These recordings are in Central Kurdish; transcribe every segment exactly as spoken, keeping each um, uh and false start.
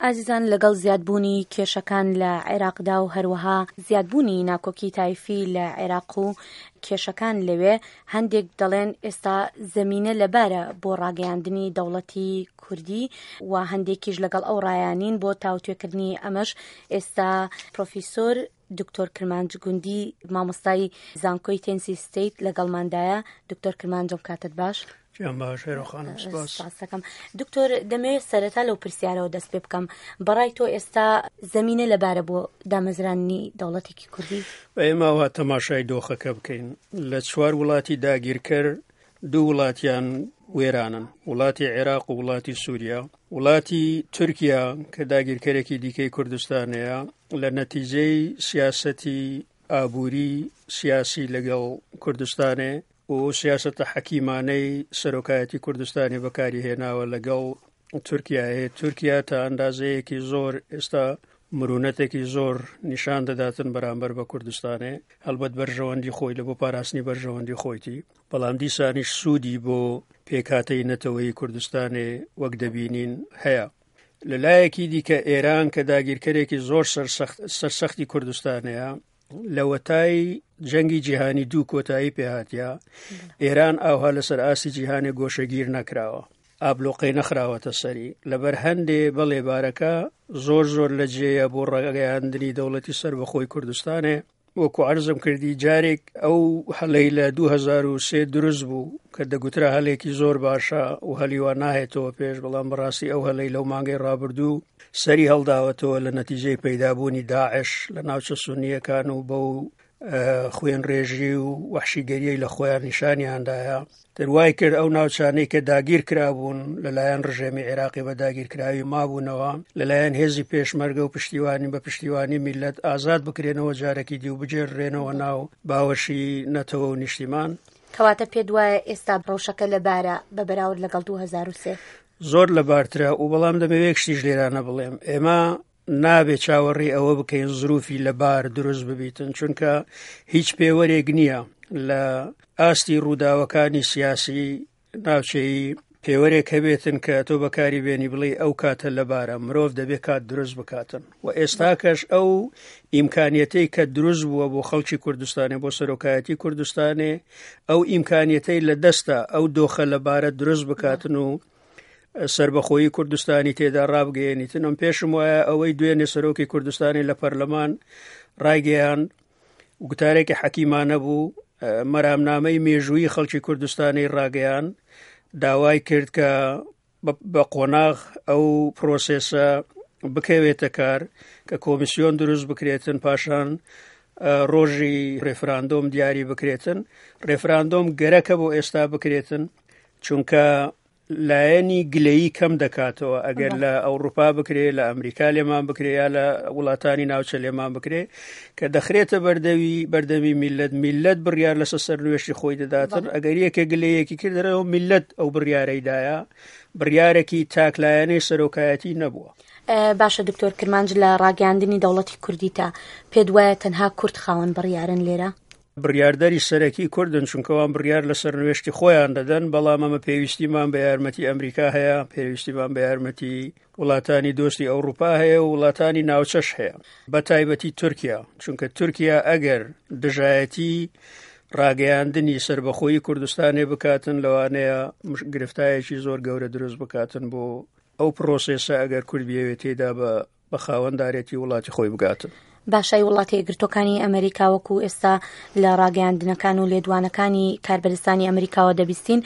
ئازیزان، لەگەڵ زیادبوونی کێشەکان لە عێراقدا و هەروەها زیادبوونی ناکۆکی تایفی لە عێراق و کێشەکان لەوێ، هەندێک دەڵێن ئێستا زەمینە لەبارە بۆ ڕاگەیاندنی دەوڵەتی کوردی و هەندێکیش لەگەڵ ئەو ڕایانین. بۆ تاوتوێکردنی ئەمەش ئێستا پرۆفیسۆر دکتۆر کرمانج گوندی، مامۆستای زانکۆی تێنسی ستەیت لەگەڵماندایە. دکتۆر کرمانجم، کاتت باش. گیان باش هێرۆ خانم، سپاس. سپاسەکەم دکتۆر. دەمەوێت سەرەتا لەو پرسیارەوە دەست پێ بکەم، بەڕای تۆ ئێستا زەمینە لەبارە بۆ دامەزرانی دەوڵەتێکی کوردی؟ ئێمە وا تەماشای دۆخەکە بکەین، لە چوار وڵاتی داگیرکەر دوو وڵاتیان وێرانن، وڵاتی عێراق و وڵاتی سووریا. وڵاتی تورکیا کە داگیرکەرێکی دیکەی کوردستانەیە، لە نەتیجەی سیاسەتی ئابووری سیاسی لەگەڵ کوردستانێ و سیاسەتە حەکیمانەی سەرۆکایەتی کوردستانی بەکاری هێناوە لەگەڵ تورکیا هەیە، تورکیا تا ئەندازەیەکی زۆر ئێستا مرونەتێکی زۆر نیشان دەداتن بەرامبەر بە کوردستانێ. هەڵبەت بەرژەوەندی خۆی لە بۆ پاراستنی بەرژەوەندی خۆیتی، بەڵام دیسانیش سوودی بۆ پێکهاتەی نەتەوەی کوردستانێ وەک دەبینین هەیە. لە لایەکی دیکە ئێران کە داگیرکەرێکی زۆر سەرسەختی کوردستانەیە، لەوەتای جەنگی جیهانی دوو کۆتایی پێهاتیا، ئێران ئاوها لەسەر ئاستی جیهانی گۆشەگیر نەکراوە، ئابلۆقەی نەخراوەتە سەری. لەبەر هەندێ بەڵێ بارەکە زۆر زۆر لە جێیە بۆ ڕاگەیاندنی دەوڵەتی سەربەخۆی کوردستانێ. وەکو عەرزم کردی، جارێک ئەو هەلەی لە دوو هەزار و سێ دروست بوو کە دەگوترا هەلێکی زۆر باشە و هەلیوا ناهێتەوە پێش، بەڵام بەڕاستی ئەو هەلەی لەو مانگەی ڕابردوو سەری هەڵداوەتەوە لە نەتیجەی پەیدابوونی داعش لە ناوچە سونیەکان و بەو خوێنڕێژی و وەحشیگەریەی لە خۆیان نیشانیاندایە، دەروای کرد ئەو ناوچانەی کە داگیر کرابوون لەلایەن ڕژێمی عێراقی بە داگیرکراوی مابوونەوە، لەلایەن هێزی پێشمەرگە و پشتیوانی بە پشتیوانی میلەت ئازاد بکرێنەوە جارێکی دی و بگێڕرێنەوە ناو باوەشی نەتەوە و نیشتیمان. کەواتە پێت وایە ئێستا ڕەوشەکە لەبارە بە بەراورد لەگەڵ دوو هەزار و سێ؟ زۆر لەبارترە و بەڵام دەمەوێت شتیش لێرانە بڵێم، ئێمە نابێ چاوەڕێی ئەوە بکەین زروفی لەبار دروست ببیتن، چونکە هیچ پێوەرێک نییە لە ئاستی ڕووداوەکانی سیاسی ناوچەیی پێوەرێک هەبێتن کە تۆ بەکاری بێنی بڵێ ئەو کاتە لەبارە. مرۆڤ دەبێت کات دروست بکاتن و ئێستاکەش ئەو ئیمکانیەتەی کە دروست بووە بۆ خەڵکی کوردستانێ، بۆ سەرۆکایەتی کوردستانێ، ئەو ئیمکانیەتەی لە دەستە ئەو دۆخە لەبارە دروست بکاتن و سربەخۆیی کوردستانی تێدا ڕابگەیەنیتن. ئەم پێشم وایە ئەوەی دوێنێ سەرۆکی کوردستانی لە پەرلەمان ڕایگەیان گوتارێکی حەکیمانە بوو، مەرامنامەی مێژوویی خەڵکی کوردستانی ڕاگەیان، داوای کرد کە بە قۆناغ ئەو پرۆسێسە بکەوێتە کار کە کۆمیسیۆن دروست بکرێتن، پاشان ڕۆژی ڕێفراندۆم دیاری بکرێتن. ڕێفراندۆم گەرەکە بۆ ئێستا بکرێتن، چونکە لایەنی گلەیی کەم دەکاتەوە. ئەگەر لە ئەوروپا بکرێ، لە ئەمریکا لێمان بکرێ، یا لە وڵاتانی ناوچە لێمان بکرێ، کە دەخرێتە بەردەوی بەردەمی میلەت، میلەت بڕیار لەسەر سەرنوێشتی خۆی دەداتن. ئەگەر یەکێک گلەیەکی کردەرەوە، میلەت ئەو بڕیارەیدایە، بڕیارێکی تاکلایەنەی سەرۆکایەتی نەبووە. باشە دکتۆر کرمانج، لە ڕاگەیاندنی دەوڵەتی کوردیتا پێت وایە تەنها کورد خاوەن بڕیارن لێرە؟ بڕیاردەری سەرەکی کوردن، چونکەوان بڕیار لەسەر نوێشتی خۆیان دەدەن، بەڵام ئەمە پێویستیمان بە یارمەتی ئەمریکا هەیە، پێویستیمان بە یارمەتی وڵاتانی دۆستی ئەوروپا هەیە و وڵاتانی ناوچەش هەیە، بە تایبەتی تورکیا، چونکە تورکیا ئەگەر دژایەتی ڕاگەیاندنی سربەخۆیی کوردستانێ بکاتن، لەوانەیە گرفتایەکی زۆر گەورە دروست بکاتن بۆ ئەو پرۆسێسە ئەگەر کورد بیەوێت تێدا بە بە خاوەندارێتی وڵاتی خۆی بگاتن. باشای وڵاتی یەکگرتووەکانی ئەمریکا وەکو ئێستا لە ڕاگەیاندنەکان و لێدوانەکانی کاربەدەستانی ئەمریکاوە دەبیستین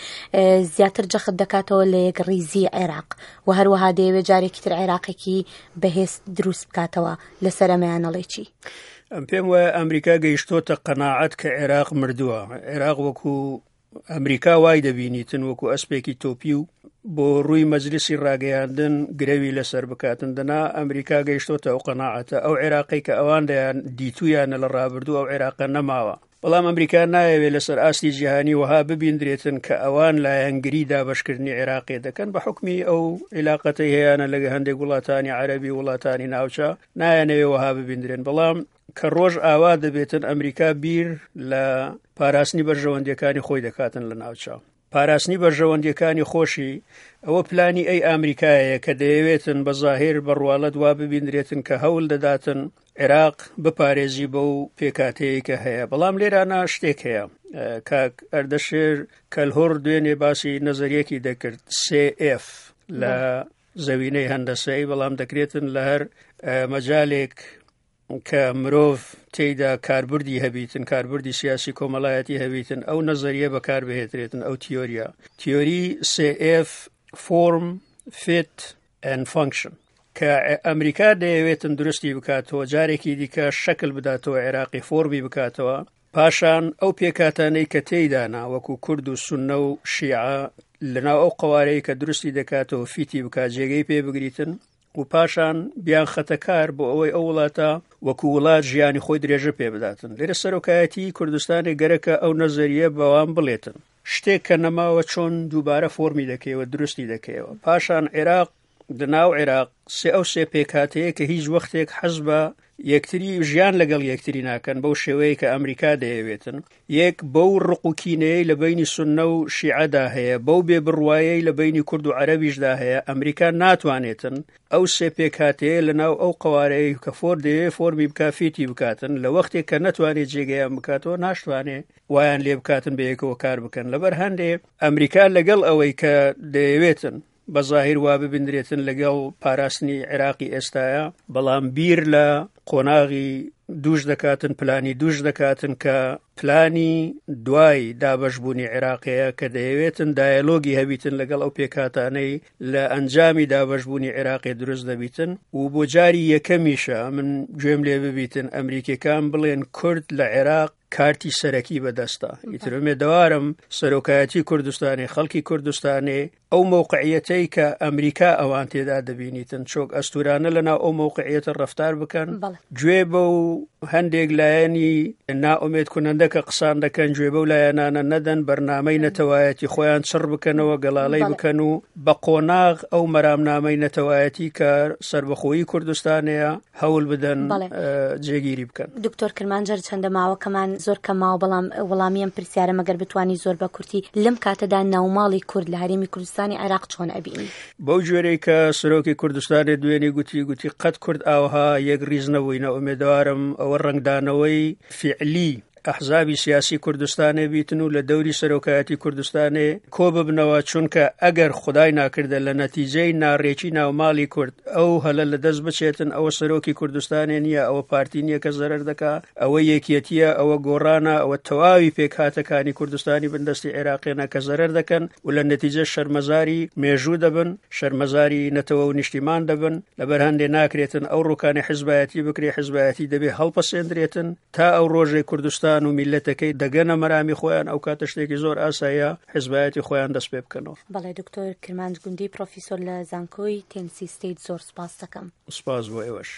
زیاتر جەخت دەکاتەوە لە یەکڕیزی عێراق و هەروەها دەیەوێت جارێکی تر عێراقێکی بەهێز دروست بکاتەوە، لەسەر ئەمەیان ئەڵێ چی؟ ئەم پێم وایە ئەمریکا گەیشتۆتە قەناعەت کە عێراق مردووە. عێراق وەکو ئەمریکا وای دەبینیتن وەکو ئەسپێکی تۆپی و بۆ ڕووی مەجلیسی ڕاگەیاندن گرەوی لەسەر بکاتن، دەنا ئەمریکا گەیشتۆتە ئەو قەناعەتە ئەو عێراقی کە ئەوان دەیان دیتویانە لە ڕابردوو ئەو عێراقە نەماوە. بەڵام ئەمریکا نایەوێت لەسەر ئاستی جیهانی وەها ببیندرێتن کە ئەوان لایەنگری دابەشکردنی عێراقی دەکەن بە حکمی ئەو عیلاقەتەی هەیەیانە لەگە هەندێک وڵاتانی عەرەبی وڵاتانی ناوچە، نایەنەوێ وەها ببیندرێن. بەڵام کە ڕۆژ ئاوا دەبێتن ئەمریکا بیر لە پاراستنی بەرژەوەندیەکانی خۆی دەکاتن لە ناوچە. پاراستنی بەرژەوەندیەکانی خۆشی. ئەوە پلانی ئەی ئەمریکایە کە دەیەوێتن بە ظاهر بە ڕواڵەت وا ببیندرێتن کە هەوڵ دەداتن عێراق بپارێزی بەو پێکاتەیە کە هەیە. بەڵام لێرانە شتێک هەیە، کاک ئەردەشێر کەلهۆڕ دوێنێ باسی نەزەریەکی دەکرد سێ ئف لە زەوینەی هەندەسەی، بەڵام دەکرێتن لە هەر مەجالێک کە مرۆڤ تێیدا کاربردی هەبیتن، کاربردی سیاسی کۆمەڵایەتی هەبیتن، ئەو نەزەریە بەکار بهێترێتن، ئەو تیۆریە، تیۆری سێ ئف form fit and function کە ئەمریکا دەیەوێتن درستی بکاتەوە، جارێکی دیکە شەکل بداتەوە عێراقی، فۆرمی بکاتەوە. پاشان ئەو پێکاتانەی کە تێیدانا وەکو کورد و سوننە و شیعە لەناو ئەو قوارەی کە درستی دەکاتەوە فیتی بکات، جێگەی پێ بگریتن و پاشان بیان خەتەکار بۆ ئەوەی ئەو وڵاتە وەکو وڵات ژیانی خۆی درێژە پێ بداتن. لێرە سەرۆکایەتی کوردستانی گەرەکە ئەو نەزەریە بەوان بڵێتن شتێک کە نەماوە چۆن دووبارە فۆرمی دەکەیەوە، درستی دەکەیەوە. پاشان عێراق لەناو عێراق سێ ئەو سێ پێکاتەیە کە هیچ وەختێک حەز بە یەکتری ژیان لەگەڵ یەکتری ناکەن بەو شێوەیە کە ئەمریکا دەیەوێتن. یەک بەو ڕق و کینەیە لە بینی سوننە و شیعەدا هەیە، بەو بێبڕوایەی لە بینی کورد و عەرەبیشدا هەیە، ئەمریکا ناتوانێتن ئەو سێ پێکاتەیە لەناو ئەو قوارەیە کە فۆر دەیەوێت فۆرمی بکا فیتی بکاتن، لە وەختێک کە نەتوانێت جێگەیان بکاتەوە ناشتوانێ وایان لێ بکاتن بە یەکەوە کار بکەن. لەبەر هەندێ ئەمریکا لەگەڵ ئەوەی کە دەیەوێتن بە ظاهر وا ببیندرێتن لەگەڵ پاراستنی عێراقی ئێستاە، بەڵام بیر لە قۆناغی دووش دەکاتن، پلانی دووش دەکاتن کە پلانی دوای دابەشبوونی عێراقەیە کە دەیەوێتن دایەلۆگی هەبیتن لەگەڵ ئەو پێکهاتانەی لە ئەنجامی دابەشبوونی عێراقی دروست دەبیتن. و بۆ جاری یەکەمیشە من گوێم لێ ببیتن ئەمریکیەکان بڵێن کورد لە عێراق کارتی سەرەکی بەدەستە. ئیتر ئومێدەوارم سەرۆکایەتی کوردستانی، خەڵکی کوردستانی ئەو موقعیەتەی کە ئەمریکا ئەوان تێدا دەبینیتن چۆک ئەستورانە لەناو ئەو موقعیەتە ڕەفتار بکەن، گوێ بە و هەندێک لایەنی نائومێد کنەندە کە قسان دەکەن گوێ بەو لایەنانە نەدەن، بەرنامەی نەتەوایەتی خۆیان چڕ بکەنەوە، گەڵاڵەی بکەن و بە قۆناغ ئەو مەرامنامەی نەتەوایەتی کە سربەخۆیی کوردستانەیە هەوڵ بدەن جێگیری بکەن. دکتۆر کرمانجەر چەندە ماوەکەمان زۆر کەماوە، بەڵام وەڵامی ئەم پرسیارە مەگەر بتوانی زۆر بە کورتی، لەم کاتەدا ناوماڵی کورد لە هەرێمی کوردستانی عێراق چۆن ئەبینی؟ بەو جۆرەی کە سەرۆکی کوردستانی دوێنێ گوتی، گوتی قەت کورد ئاوها یەک ڕیز نەبووینە. ئومێدەوارم ئەوە ڕەنگدانەوەی فیعلی ئەحزابی سیاسی کوردستانێ بیتن و لە دەوری سەرۆکایەتی کوردستانێ کۆ ببنەوە، چونکە ئەگەر خدای ناکردە لە نەتیجەی ناڕێکی ناوماڵی کورد ئەو هەلە لە دەست بچێتن، ئەوە سەرۆکی کوردستانێ نییە، ئەوە پارتی نییە کە زەرەر دەکا، ئەوە یەکیەتیە، ئەوە گۆڕانە، ئەوە تەواوی پێکهاتەکانی کوردستانی بندەستی عێراقیانە کە زەرەر دەکەن و لە نەتیجە شەرمەزاری مێژوو دەبن، شەرمەزاری نەتەوە و نیشتیمان دەبن. لەبەر هەندێ ناکرێتن ئەو ڕووکانی حزبایەتی بکرێ، حزبایەتی دەبێ هەڵپەسێندرێتن تا ئەو ڕۆژەی کوردستان و میلەتەکەی دەگەنە مەرامی خۆیان، ئەو کاتە شتێکی زۆر ئاساییە حزبایەتی خۆیان دەست پێ بکەنەوە. بەڵێ دکتۆر کرمانج گوندی، پرۆفیسۆر لە زانکۆی تێنسی ستەیت، زۆر سپاس دەکەم. سپاس بۆ ئێوەش.